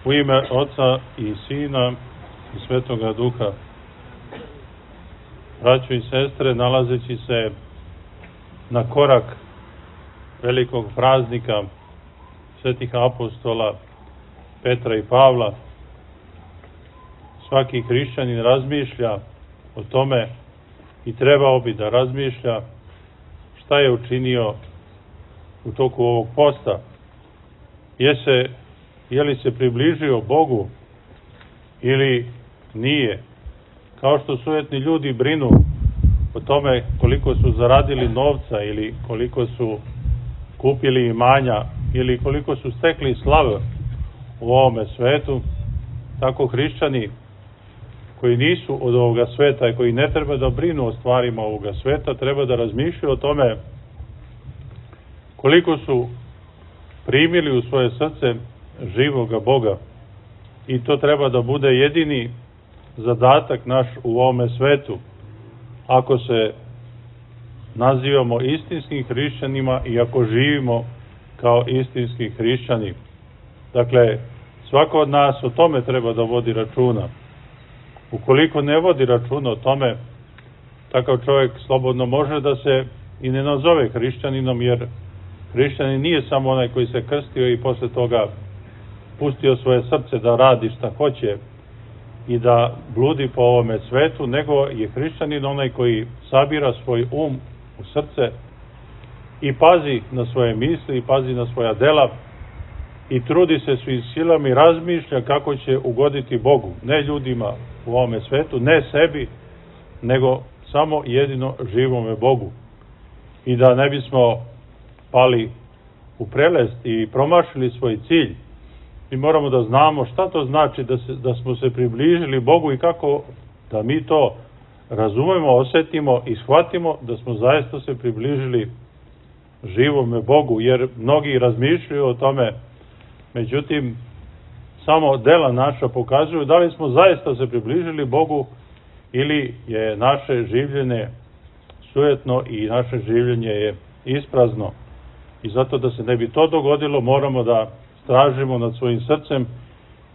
U ime Oca i Sina i Svetoga Duha. Braćo i sestre, nalazeći se na korak velikog praznika svetih apostola Petra i Pavla, svaki hrišćanin razmišlja o tome i trebao bi da razmišlja šta je učinio u toku ovog posta. Je li se približio Bogu ili nije? Kao što sujetni ljudi brinu o tome koliko su zaradili novca ili koliko su kupili imanja ili koliko su stekli slave u ovome svetu, tako hrišćani koji nisu od ovoga sveta i koji ne treba da brinu o stvarima ovoga sveta, treba da razmišljaju o tome koliko su primili u svoje srce živoga Boga. I to treba da bude jedini zadatak naš u ovome svetu. Ako se nazivamo istinskim hrišćanima i ako živimo kao istinski hrišćani. Dakle, svako od nas o tome treba da vodi računa. Ukoliko ne vodi računa o tome, takav čovjek slobodno može da se i ne nazove hrišćaninom, jer hrišćanin nije samo onaj koji se krstio i posle toga pustio svoje srce da radi šta hoće i da bludi po ovome svetu, nego je hrišćanin onaj koji sabira svoj um u srce i pazi na svoje misli, i pazi na svoja dela i trudi se svim silama i razmišlja kako će ugoditi Bogu, ne ljudima u ovome svetu, ne sebi, nego samo jedino živome Bogu. I da ne bismo pali u prelest i promašili svoj cilj, mi moramo da znamo šta to znači da smo se približili Bogu i kako da mi to razumemo, osetimo i shvatimo da smo zaista se približili živome Bogu, jer mnogi razmišljaju o tome, međutim samo dela naša pokazuju da li smo zaista se približili Bogu ili je naše življenje sujetno i naše življenje je isprazno. I zato da se ne bi to dogodilo, moramo da stražimo nad svojim srcem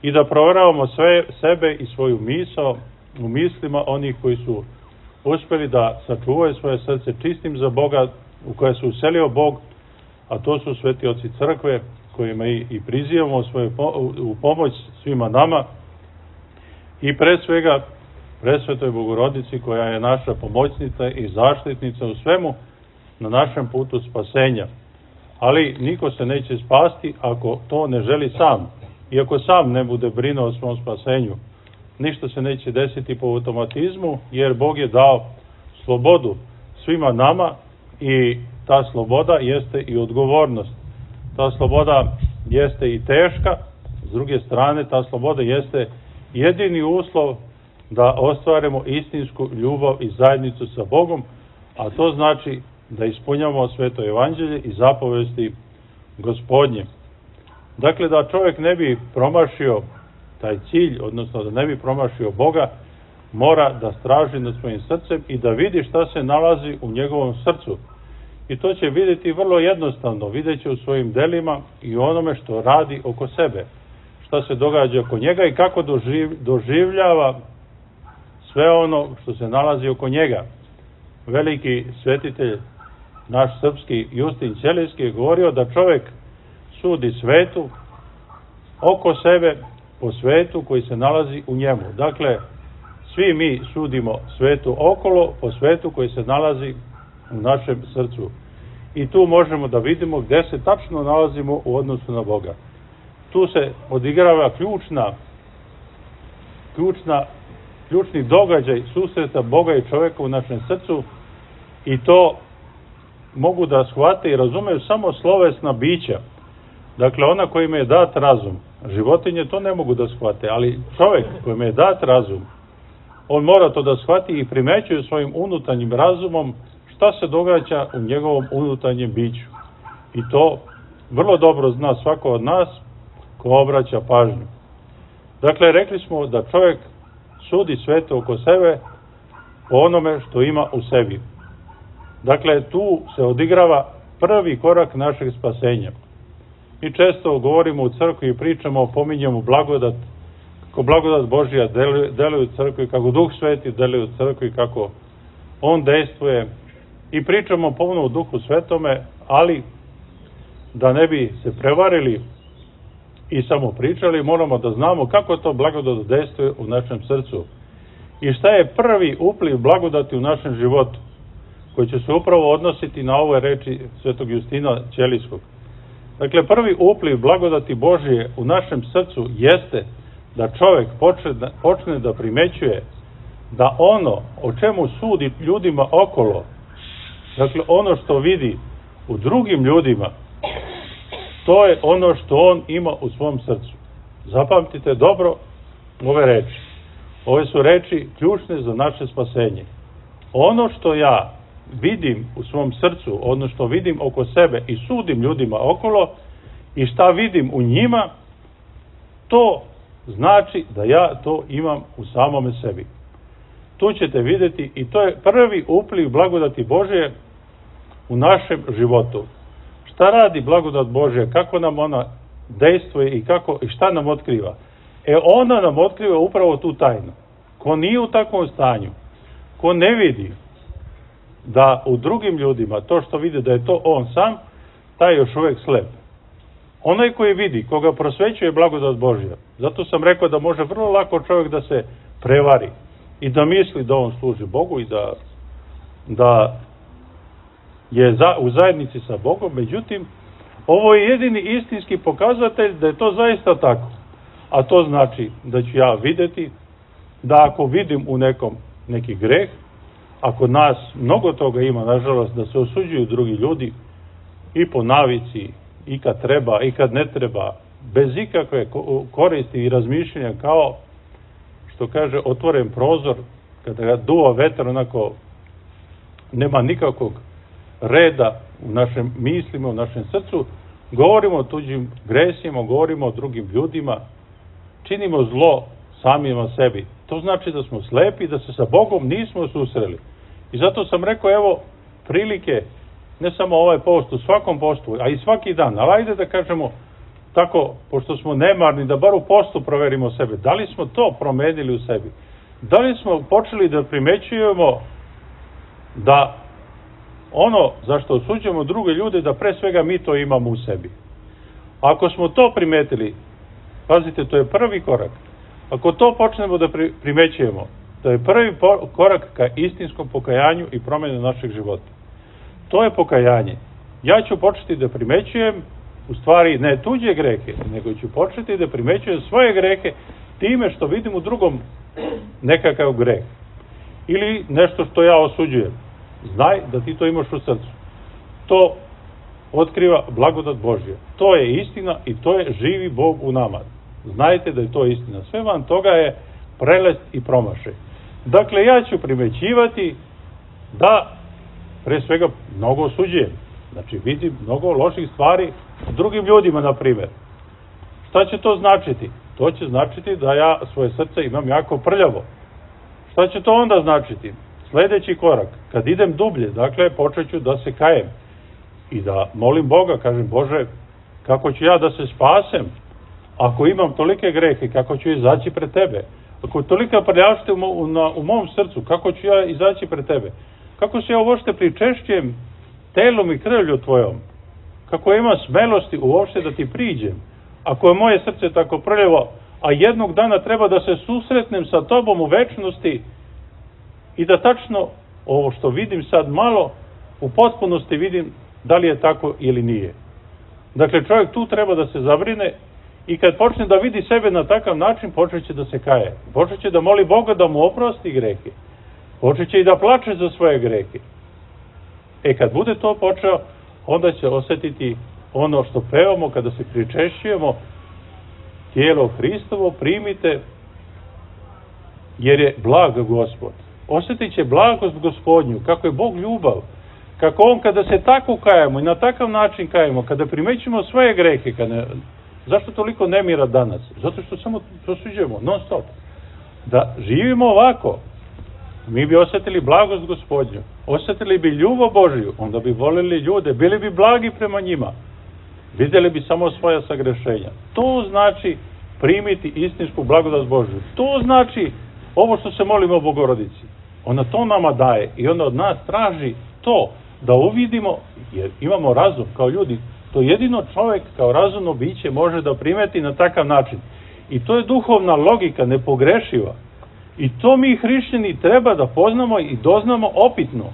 i da proveravamo sve sebe i svoju misao u mislima onih koji su uspeli da sačuvaju svoje srce čistim za Boga, u koje se uselio Bog, a to su sveti oci crkve, kojima i prizivamo u pomoć svima nama, i pre svega presvetoj Bogorodici, koja je naša pomoćnica i zaštitnica u svemu na našem putu spasenja. Ali niko se neće spasti ako to ne želi sam. I ako sam ne bude brinuo o svom spasenju, ništa se neće desiti po automatizmu, jer Bog je dao slobodu svima nama i ta sloboda jeste i odgovornost. Ta sloboda jeste i teška, s druge strane ta sloboda jeste jedini uslov da ostvarimo istinsku ljubav i zajednicu sa Bogom, a to znači da ispunjamo sveto evanđelje i zapovesti Gospodnje. Dakle, da čovjek ne bi promašio taj cilj, odnosno da ne bi promašio Boga, mora da straži nad svojim srcem i da vidi šta se nalazi u njegovom srcu. I to će vidjeti vrlo jednostavno, vidjet će u svojim delima i onome što radi oko sebe, šta se događa oko njega i kako doživljava sve ono što se nalazi oko njega. Veliki svetitelj, naš srpski Justin Ćelijski, je govorio da čovjek sudi svetu oko sebe po svetu koji se nalazi u njemu. Dakle, svi mi sudimo svetu okolo po svetu koji se nalazi u našem srcu. I tu možemo da vidimo gde se tačno nalazimo u odnosu na Boga. Tu se odigrava ključni događaj susreta Boga i čovjeka u našem srcu, i to mogu da shvate i razumeju samo slovesna bića. Dakle, ona kojima je dat razum. Životinje to ne mogu da shvate, ali čovjek kojima je dat razum, on mora to da shvati i primećuje svojim unutarnjim razumom šta se događa u njegovom unutarnjem biću. I to vrlo dobro zna svako od nas ko obraća pažnju. Dakle, rekli smo da čovjek sudi sveto oko sebe po onome što ima u sebi. Dakle, tu se odigrava prvi korak našeg spasenja. Mi često govorimo u crkvi i pričamo, pominjemo blagodat, kako blagodat Božja deluje u crkvi, kako Duh Sveti deluje u crkvi, kako On dejstvuje i pričamo ponovno o Duhu Svetome, ali da ne bi se prevarili i samo pričali, moramo da znamo kako to blagodat dejstvuje u našem srcu i šta je prvi upliv blagodati u našem životu, koji će se upravo odnositi na ove reči svetog Justina Ćelijskog. Dakle, prvi upliv blagodati Božje u našem srcu jeste da čovek počne da primećuje da ono o čemu sudi ljudima okolo, dakle ono što vidi u drugim ljudima, to je ono što on ima u svom srcu. Zapamtite dobro ove reči. Ove su reči ključne za naše spasenje. Ono što ja vidim u svom srcu, ono što vidim oko sebe i sudim ljudima okolo i šta vidim u njima, to znači da ja to imam u samome sebi. Tu ćete vidjeti i to je prvi upliv blagodati Božje u našem životu. Šta radi blagodat Božja, kako nam ona dejstvuje i šta nam otkriva? Ona nam otkriva upravo tu tajnu. Ko nije u takvom stanju, ko ne vidi da u drugim ljudima to što vidi da je to on sam, taj je još uvijek slep. Onaj koji vidi, koga prosvećuje blagodat Božja, zato sam rekao da može vrlo lako čovjek da se prevari i da misli da on služi Bogu i da je u zajednici sa Bogom, međutim, ovo je jedini istinski pokazatelj da je to zaista tako. A to znači da ću ja vidjeti da ako vidim u nekom neki greh, ako nas mnogo toga ima, nažalost, da se osuđuju drugi ljudi i po navici, i kad treba, i kad ne treba, bez ikakve koristi i razmišljanja, kao što kaže otvoren prozor, kada ga duva vetar, onako nema nikakvog reda u našim mislima, u našem srcu, govorimo o tuđim gresima, govorimo o drugim ljudima, činimo zlo samima sebi. To znači da smo slepi, da se sa Bogom nismo susreli. I zato sam rekao, evo, prilike, ne samo ovaj post, u svakom postu, a i svaki dan, ali ajde da kažemo tako, pošto smo nemarni, da bar u postu proverimo sebe. Da li smo to promenili u sebi? Da li smo počeli da primećujemo da ono zašto osuđujemo druge ljude, da pre svega mi to imamo u sebi? Ako smo to primetili, pazite, to je prvi korak. Ako to počnemo da primećujemo, to je prvi korak ka istinskom pokajanju i promjenu našeg života. To je pokajanje. Ja ću početi da primećujem, u stvari ne tuđe grehe, nego ću početi da primećujem svoje grehe time što vidim u drugom nekakav greh. Ili nešto što ja osuđujem. Znaj da ti to imaš u srcu. To otkriva blagodat Božja. To je istina i to je živi Bog u nama. Znajte da je to istina. Sve van toga je prelest i promašaj. Dakle, ja ću primećivati da pre svega mnogo osuđujem. Znači, vidim mnogo loših stvari u drugim ljudima, na primjer. Šta će to značiti? To će značiti da ja svoje srce imam jako prljavo. Šta će to onda značiti? Sljedeći korak, kad idem dublje, dakle, počet ću da se kajem i da molim Boga, kažem, Bože, kako ću ja da se spasem ako imam tolike grehe, kako ću izaći pred Tebe? Ako je tolika prljavština u mom srcu, kako ću ja izaći pred Tebe? Kako se ja uopšte pričešćujem telom i krvlju Tvojom? Kako ima smelosti uopšte da Ti priđem? Ako je moje srce tako prljavo, a jednog dana treba da se susretnem sa Tobom u večnosti i da tačno ovo što vidim sad malo, u potpunosti vidim da li je tako ili nije. Dakle, čovjek tu treba da se zabrine i kad počne da vidi sebe na takav način, počet će da se kaje. Počet će da moli Boga da mu oprosti grehe. Počet će i da plače za svoje grehe. Kad bude to počeo, onda će osjetiti ono što pevamo kada se pričešćujemo, tijelo Hristovo primite, jer je blag Gospod. Osjetit će blagost Gospodnju, kako je Bog ljubav, kako On kada se tako kajemo i na takav način kajemo, kada primećujemo svoje grehe, zašto toliko nemira danas? Zato što samo prosuđujemo, non stop. Da živimo ovako, mi bi osjetili blagost Gospodnju, osjetili bi ljubav Božiju, onda bi volili ljude, bili bi blagi prema njima. vidjeli bi samo svoja sagrešenja. To znači primiti istinsku blagodat Božju. To znači ovo što se molimo o Bogorodici. Ona to nama daje i ona od nas traži to da uvidimo, jer imamo razum kao ljudi. To jedino čovjek kao razumno biće može da primeti na takav način. I to je duhovna logika, nepogrešiva. I to mi hrišćani treba da poznamo i doznamo opitno.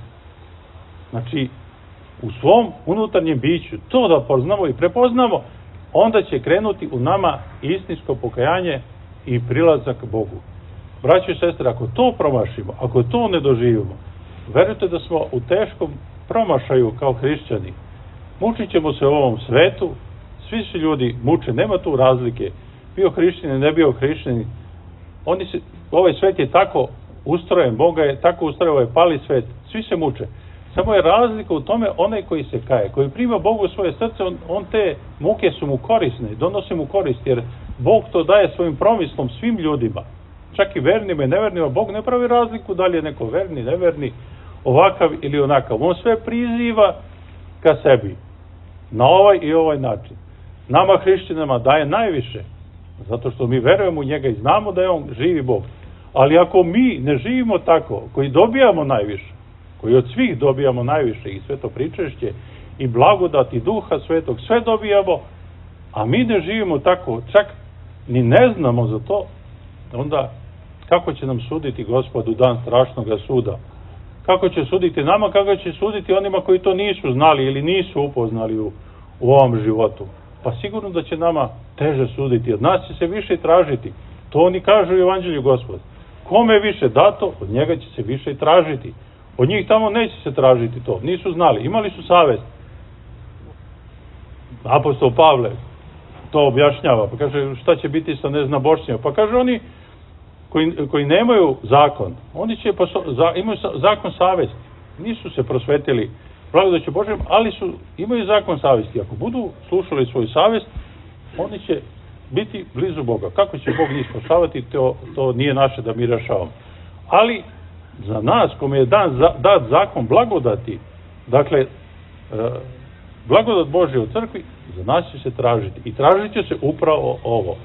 Znači, u svom unutarnjem biću, to da poznamo i prepoznamo, onda će krenuti u nama istinsko pokajanje i prilazak Bogu. Braćo i sestre, ako to promašimo, ako to ne doživimo, verujte da smo u teškom promašaju kao hrišćani. Mučit ćemo se u ovom svetu, svi se ljudi muče, nema tu razlike, bio hrišćanin, ne bio hrišćanin. Ovaj svet je tako ustrojen, Boga je tako ustrojen, ovaj pali svet, svi se muče. Samo je razlika u tome onaj koji se kaje, koji prima Bogu u svoje srce, on te muke su mu korisne, donose mu korist, jer Bog to daje svojim promislom svim ljudima, čak i vernima i nevernima. Bog ne pravi razliku da li je neko verni, neverni, ovakav ili onakav. On sve priziva ka sebi, na ovaj i ovaj način. Nama hrišćanima daje najviše, zato što mi verujemo u njega i znamo da je on živi Bog. Ali ako mi ne živimo tako, koji dobijamo najviše, koji od svih dobijamo najviše, i sveto pričešće, i blagodat, i duha svetog, sve dobijamo, a mi ne živimo tako, čak ni ne znamo za to, onda kako će nam suditi Gospod u dan strašnog suda? Kako će suditi nama, kako će suditi onima koji to nisu znali ili nisu upoznali u ovom životu? Pa sigurno da će nama teže suditi, od nas će se više tražiti. To oni kažu u Evanđelju Gospod. Kome je više dato, od njega će se više i tražiti. Od njih tamo neće se tražiti to, nisu znali, imali su savest. Apostol Pavle to objašnjava, pa kaže šta će biti sa neznabošćima. Pa kaže oni koji nemaju zakon, oni će imaju zakon savesti, nisu se prosvetili blagodaću Božjom, ali imaju zakon savesti. Ako budu slušali svoju savest, oni će biti blizu Boga. Kako će Bog njih spašavati, to nije naše da mi rešavamo. Ali za nas, kome je dat zakon blagodati, dakle, blagodat Božja u crkvi, za nas će se tražiti. I tražit će se upravo ovo.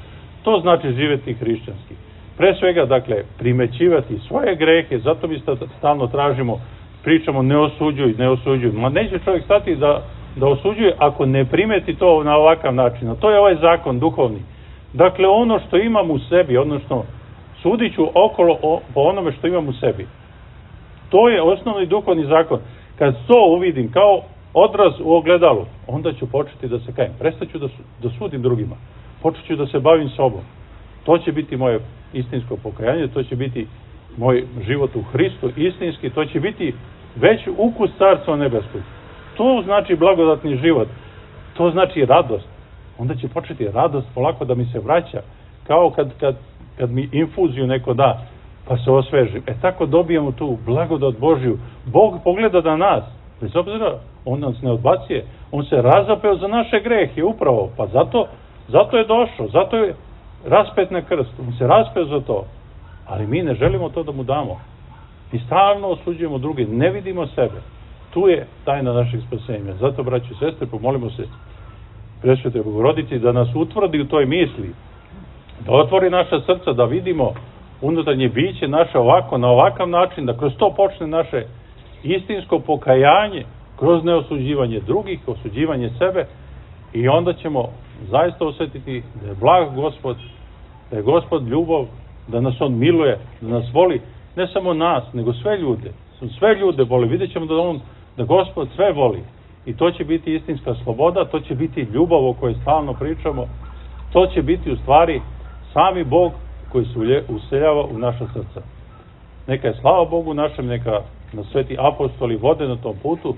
To znači živjeti hrišćanski. Pre svega, dakle, primećivati svoje grehe, zato mi stalno tražimo, pričamo ne osuđuj, ne osuđuj. Ma neće čovjek stati da osuđuje ako ne primeti to na ovakav način. A to je ovaj zakon duhovni. Dakle, ono što imam u sebi, odnosno sudit ću okolo po onome što imam u sebi. To je osnovni duhovni zakon. Kad to uvidim kao odraz u ogledalu, onda ću početi da se kajem. Prestaću da sudim drugima. Počet ću da se bavim sobom. To će biti moje istinsko pokajanje, to će biti moj život u Hristu istinski, to će biti već ukus Carstva nebeskog. To znači blagodatni život. To znači radost. Onda će početi radost polako da mi se vraća. Kao kad mi infuziju neko da, pa se osvežim. Tako dobijamo tu blagodat Božju. Bog pogleda na nas, bez obzira, on nas ne odbacuje, on se razapeo za naše grehe, upravo, pa zato je došao, zato je raspet na krst, on se raspeo za to, ali mi ne želimo to da mu damo. Mi stalno osuđujemo druge, ne vidimo sebe. Tu je tajna našeg spasenja. Zato, braći i sestre, pomolimo se Presvetoj Bogorodici da nas utvrdi u toj misli, da otvori naša srca, da vidimo unutarnje biće naše ovako, na ovakav način, da kroz to počne naše istinsko pokajanje, kroz neosuđivanje drugih, osuđivanje sebe, i onda ćemo zaista osjetiti da je blag Gospod, da je Gospod ljubav, da nas on miluje, da nas voli, ne samo nas, nego sve ljude. Sve ljude voli. Vidjet ćemo da Gospod sve voli. I to će biti istinska sloboda, to će biti ljubav o kojoj stalno pričamo, to će biti u stvari sami Bog koji se useljava u naša srca. Neka je slava Bogu našem, neka nas sveti apostoli vode na tom putu,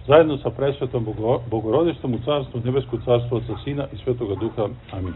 zajedno sa presvetom Bogorodičnom u carstvu, nebesko carstvo Otca, Sina i Svetoga Duha. Amin.